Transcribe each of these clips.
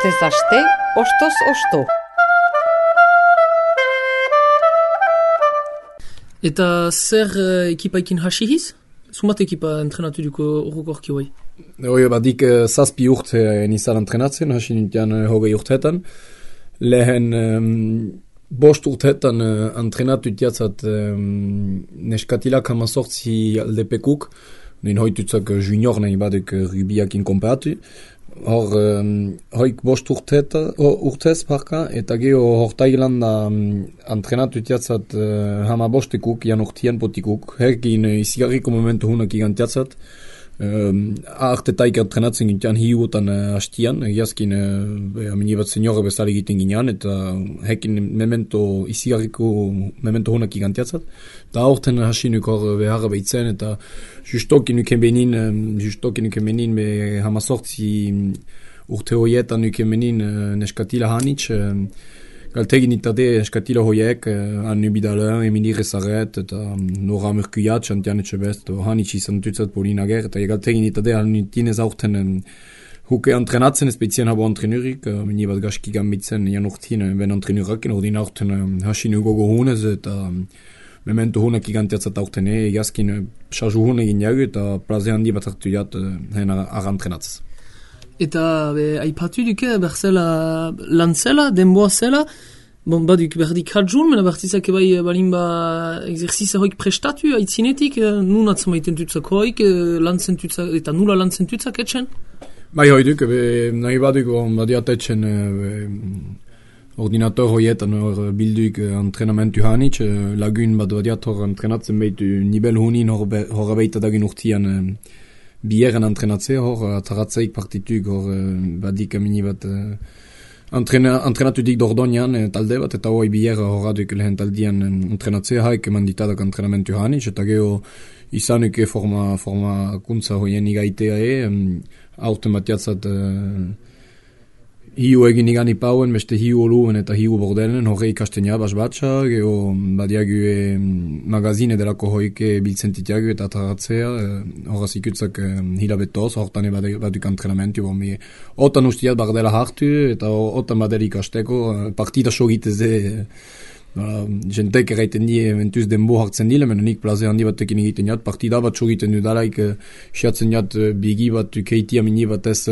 Astez aste, ostoz osto. Eta zer ekipaikin hasihiz? Zumat ekipa entrenatuko orokorki hoi? Badik zazpi urte nizan entrenatzen, hasi nintian hogei urteetan. Lehen bost urteetan entrenatu itiatzat neskatilak hamazortzi aldepekuk, nin hoitutzak junior nahi badek rubiakin konparatu. Hoik bost urtez parka, eta geho hortailanda entrenatu itiatzat hama bostekuk, jan urtian potikuk, herkin izigarriko momentu hunak igantiatzat. Artetaik entrenatzen gintian hiuotan hastian, egiazkin amini bat seniore bezala egiten ginean, eta hekin izigarriko memento hunak igantiatzat. Da aurten hasinuk hor beharra behitzen, eta justokin nuken benin be hamazortzi urte hoietan nuken benin neskatila hanitz, galtegin itade neskatila hoiek, Annu Bidalen, Emili Rezaret, eta Nora Murkuyat, Chantian Etxebest, hanitz izan tutzat Paulina Ger, eta galtegin itade hanutinez aurten huke entrenatzen espezien habo entrenurik, mini bat gaski gambitzen jan urtin ben entrenurakin, ordin aurten hasinu gogo hunez, eta memento hunak igantiatzat aurten egazkin sarju hun egin jagu, eta plaze handi bat hartu jat ara entrenatzez. Eta aipatu duke berzela lantzela, denboa zela, baduk berdik hadjun, mena bertizak bai balin exerciza hoik prestatu, aitzinetik, nun atzamaiten tutzak hoik, lantzen tutzak, eta nula lantzen tutzak etxen? Bai hoi duk, nahi baduk badiat etxen ordinator hoietan bilduk entrenamentu hanitz, lagun badiat hor entrenatzen behitu nibel hunin hor beita dagin urtian bieren entrenatzea, hor ataratzeik partituk, hor badik amini bat entrenatu dik Dordoñan talde bat, eta hoi bier horraduk lehen taldian entrenatzea, haik manditadak entrenamentu hanitz, eta geho izanuke forma kuntza hoien igaitea aurten batiatzat hiu egin igani pauen, beste hiu oluen eta hiu bordelen, horre ikastenia basbatxa, geho badiagu magazine delako hoike biltzentitiagu eta ataratzea, horraz ikutzak hilabetoz, hortan baduk entrenamentu, otan ustiat bardela hartu, eta otan badela ikasteko, partida sogiteze, jentek erraiten die mentuz denbo hartzen dile, mena nik plaze handi batekin egiten jat, partida bat sogiten dudalaik, siatzen jat bigi bat, keiti amini bat ez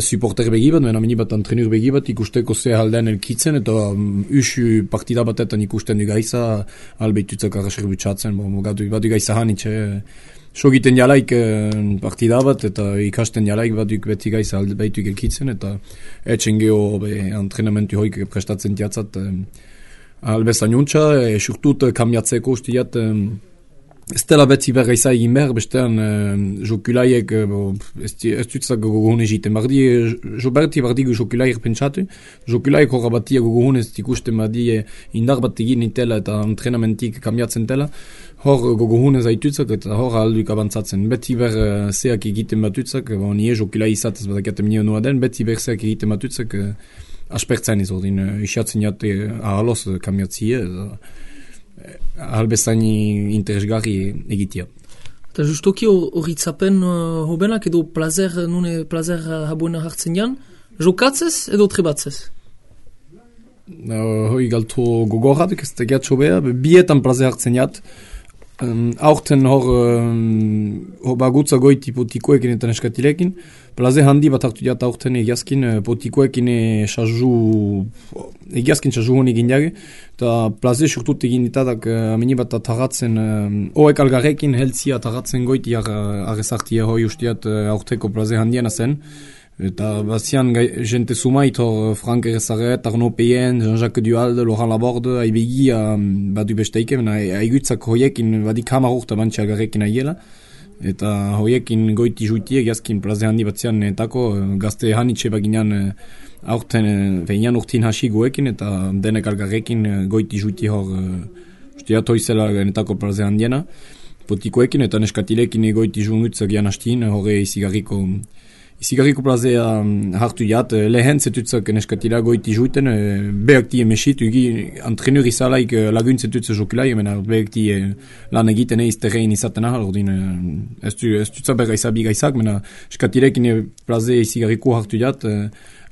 supporter begi bat, mena amini bat entrenur begi bat, ikusteko ze haldean elkitzen, eta usu partida batetan ikusten du gaiza, albeitutzak arraser butxatzen, badu gaiza hanitxe, sogiten jalaik partida bat, eta ikasten jalaik baduk beti gaiza albeituk elkitzen, eta etxen geho entrenamentu hoik prestatzen diatzat, albezan juntza, surtut kamiatzeko ustiat, ez dela beti berra egin behar, bestean jokulaiek, ez dutzak gogohun egiten, berti bardi jokulaiek pentsatu, jokulaiek horra batia gogohun ez ikusten bardi indar bat egin nitela eta entrenamentik kamiatzen tela, hor gogohun ez aitutzak eta hor alduk abantzatzen, beti ber zeak egiten batutzak, nie jokulai izatez badakiatem nio noa den, beti ber zeak egiten batutzak, aspertzen ez ordin, isatzen jate ahaloz kamiatzie, ahalbezain interesgarri egitea. Eta justoki horritzapen hobenak edo plazer habuena hartzen jan, jokatzez edo trebatzez? Hoi galto gogorratuk ez tegiat sobea, bietan plazer hartzen jat, aurten hor bagutza goiti potikoekin eta neskatilekin, plaze handi bat hartu jat aurten egiazkin potikoekin egiazkin sazu honi gindiage, eta plaze surtut egin ditadak amini bat ataratzen, oek algarrekin heltzia ataratzen goiti arrezartia hoi ustiat aurteko plaze handiena zen, eta bazian jente sumait hor Frank Rezaret, Arnaud Peyen, Jean-Jacques Duhalde, Laurent Laborde, aibegi badu besteike, aigutzak hoiekin badik hamar urta bantxe algarrekin aiela, eta hoiekin goiti juitie egiazkin plaze handi batzian etako gazte hanitxe baginan aurten veinan urtin hasi goekin, eta denek algarrekin goiti juitie hor ustiat hoizela etako plaze handiena potikoekin, eta neskatilekin goiti jungutzak gian hastin, horre izigarriko plazea hartu jat, lehen zetutzak neskatila goiti juiten, behakti emesit, entrenur izalaik lagun zetutze jokulai, mena behakti lan egiten terrein izaten ahal, ordin ez dutza berra izabi gaizak, mena eskatilekin plaze izigarriko hartu jat,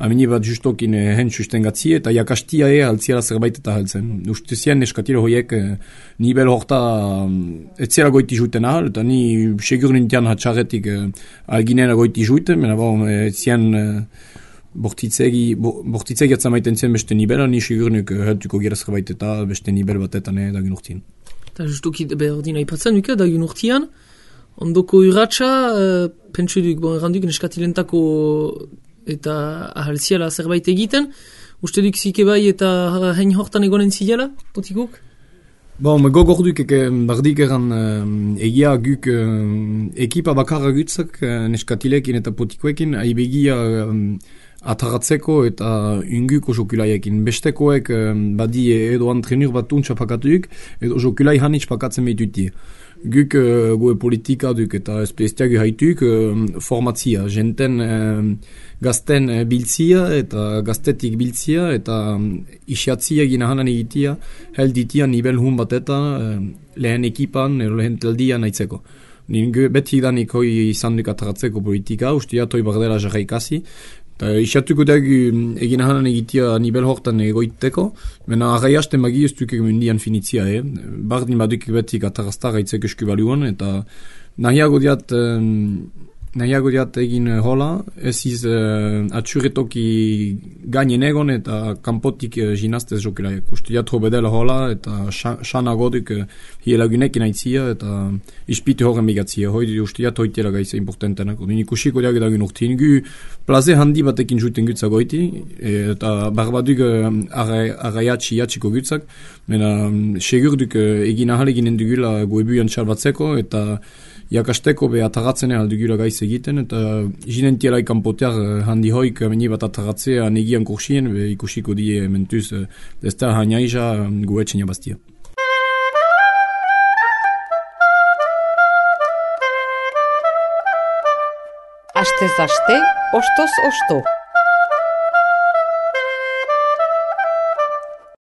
amini bat justokin hen sustengatzi eta jakastia altziala zerbait eta haltzen. Uste zian neskatilo hoiek nibel horta etzera goiti juiten ahal, eta ni segur nintian hatxarretik alginera goiti juiten, mena zian bortitzegi atzamaiten zen beste nibela, ni segur nuk heltuko gira zerbait eta beste nibel batetan dagin urtien. Eta justuki ordina ipatzen duke dagin urtian, ondoko urratxa, pentsu duk, erranduk neskatilentako eta ahaltziala zerbait egiten, uste duk zike bai eta hein hortan egonen zidela, potikuk? Gogorduk bardik eran egia guk ekipa bakarra gutzak neskatilekin eta potikoekin, aibegia ataratzeko eta unguko jokulaiekin. Bestekoek badi edo antrenur bat untxapakatuk, edo jokulai hanitz pakatzen behitutie. Guk goe politika duk eta espestiagu haituk formatzia, jenten gazten biltzia eta gaztetik biltzia eta isiatzia gina hanan egitia, helditia nivel hun bat eta lehen ekipan, lehen teldia nahitzeko. Beti danik hoi izan duk ataratzeko politika, ustia toi bardela jarra ikasi, Isatuko dagu egin hanan egitea nivel hortan egoiteko, mena arraiasten magi ez duk mundian finitzia, bardin baduk betik ataraztara itzek esku baluan, eta nahiago diat egin hola, ez iz atxuretoki gainen egon eta kanpotik jinastez jokelaik. Uste diat hobedela hola eta xanago duk hielagunekin aitzia eta ispite horren bigatzia. Uste diat hoitela gaiza importantenak. Ikusiko diak edagin urtin. Gu plaze handi batekin juten gutzak goiti eta barbaduk arraiatxi jatxiko gutzak. Mena segur duk egin ahal eginen dugula goebuian txalbatzeko eta jakasteko be ataratzen aldugula gaiz egiten, eta jinentiela ikanpotear handi hoik meni bat ataratzea negian kursien, be ikusiko die mentuz ez da hainaiza guetxen jabaztia. Astez aste, ostoz osto.